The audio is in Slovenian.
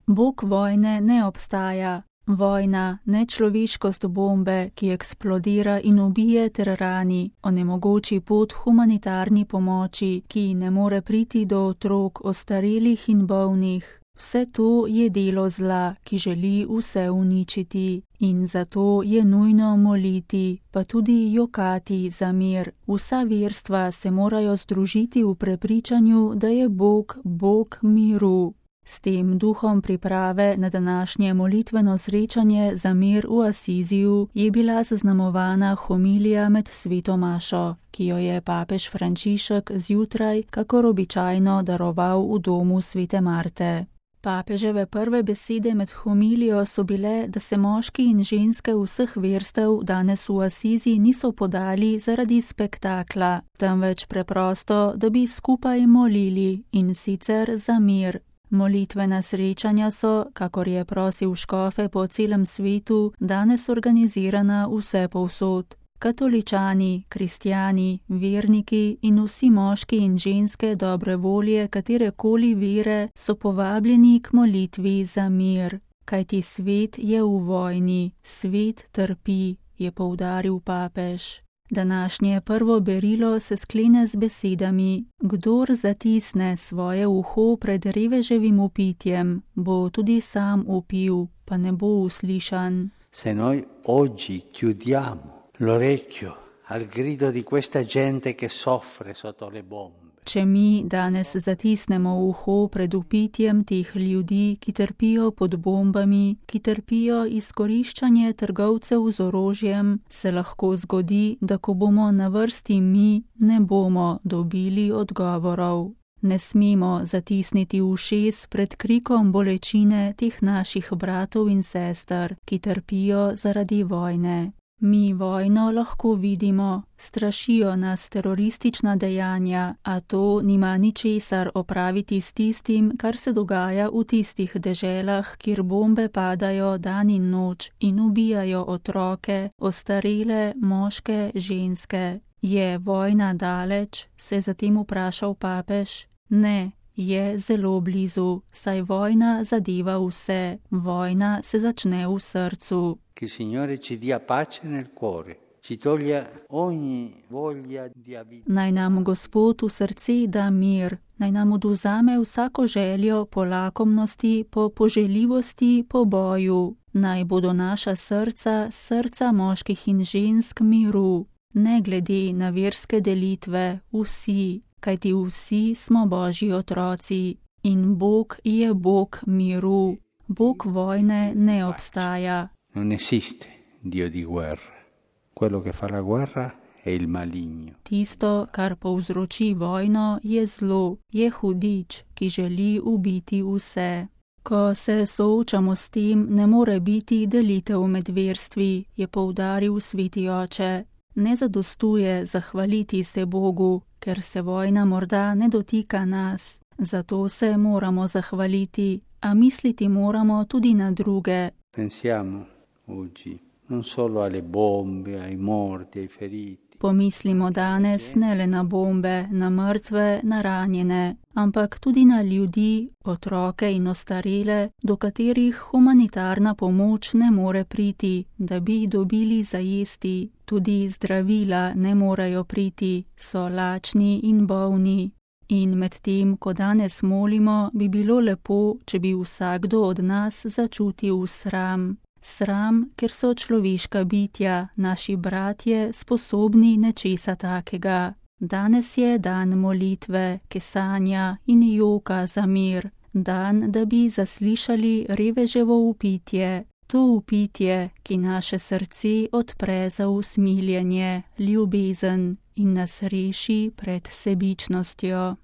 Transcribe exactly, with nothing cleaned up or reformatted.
Bog vojne ne obstaja. Vojna, nečloveškost bombe, ki eksplodira in ubije ter rani, onemogoči pot humanitarni pomoči, ki ne more priti do otrok, ostarelih in bolnih. Vse to je delo zla, ki želi vse uničiti, in zato je nujno moliti, pa tudi jokati za mir. Vsa verstva se morajo združiti v prepričanju, da je Bog Bog miru. S tem duhom priprave na današnje molitveno srečanje za mir v Asiziju je bila zaznamovana homilija med sveto mašo, ki jo je papež Frančišek zjutraj, kakor običajno, daroval v domu svete Marte. Papeževe prve besede med homilijo so bile, da se moški in ženske vseh verstev danes v Asizi niso podali zaradi spektakla, temveč preprosto, da bi skupaj molili, in sicer za mir. Molitvena srečanja so, kakor je prosil škofe po celem svetu, danes organizirana vse povsod. Katoličani, kristjani, verniki in vsi moški in ženske dobre volje katerekoli vere so povabljeni k molitvi za mir. Kajti svet je v vojni, svet trpi, je poudaril papež. Današnje prvo berilo se sklene z besedami: kdor zatisne svoje uho pred reveževim vpitjem, bo tudi sam vpil, pa ne bo uslišan. Se noi oggi chiudiamo l'orecchio al grido di questa gente che soffre sotto le bombe. Če mi danes zatisnemo uho pred vpitjem teh ljudi, ki trpijo pod bombami, ki trpijo izkoriščanje trgovcev z orožjem, se lahko zgodi, da ko bomo na vrsti mi, ne bomo dobili odgovorov. Ne smemo zatisniti ušes pred krikom bolečine teh naših bratov in sester, ki trpijo zaradi vojne. Mi vojno lahko vidimo, strašijo nas teroristična dejanja, a to nima ničesar opraviti s tistim, kar se dogaja v tistih deželah, kjer bombe padajo dan in noč in ubijajo otroke, ostarele, moške, ženske. Je vojna daleč? Se je zatem vprašal papež. Ne, je zelo blizu, saj vojna zadeva vse. Vojna se začne v srcu. Che il Signore ci dia pace nel cuore, ci toglia ogni voglia di avere. Naj nam Gospod v srce da mir, naj nam odvzame vsako željo po lakomnosti, po poželjivosti, po boju. Naj bodo naša srca, srca moških in žensk miru, ne glede na verske delitve, vsi, kajti vsi smo Božji otroci. In Bog je Bog miru, Bog vojne ne obstaja. Non esiste Dio di guerra. Quello che fa la guerra è il maligno. Tisto, kar povzroči vojno, je zlo, je hudič, ki želi ubiti vse. Ko se soočamo s tem, ne more biti delitev med verstvi, je poudaril sveti oče. Ne zadostuje zahvaliti se Bogu, ker se vojna morda ne dotika nas. Zato se moramo zahvaliti, a misliti moramo tudi na druge. Pensiamo oggi non solo alle bombe, ai morti, ai feriti. Pomislimo danes ne le na bombe, na mrtve, na ranjene, ampak tudi na ljudi, otroke in ostarele, do katerih humanitarna pomoč ne more priti, da bi dobili za jesti. Tudi zdravila ne morejo priti, so lačni in bolni. In medtem, ko danes molimo, bi bilo lepo, če bi vsakdo od nas začutil sram. Sram, ker so človeška bitja, naši bratje, sposobni nečesa takega. Danes je dan molitve, kesanja in joka za mir. Dan, da bi zaslišali reveževo vpitje. To vpitje, ki naše srce odpre za usmiljenje, ljubezen in nas reši pred sebičnostjo.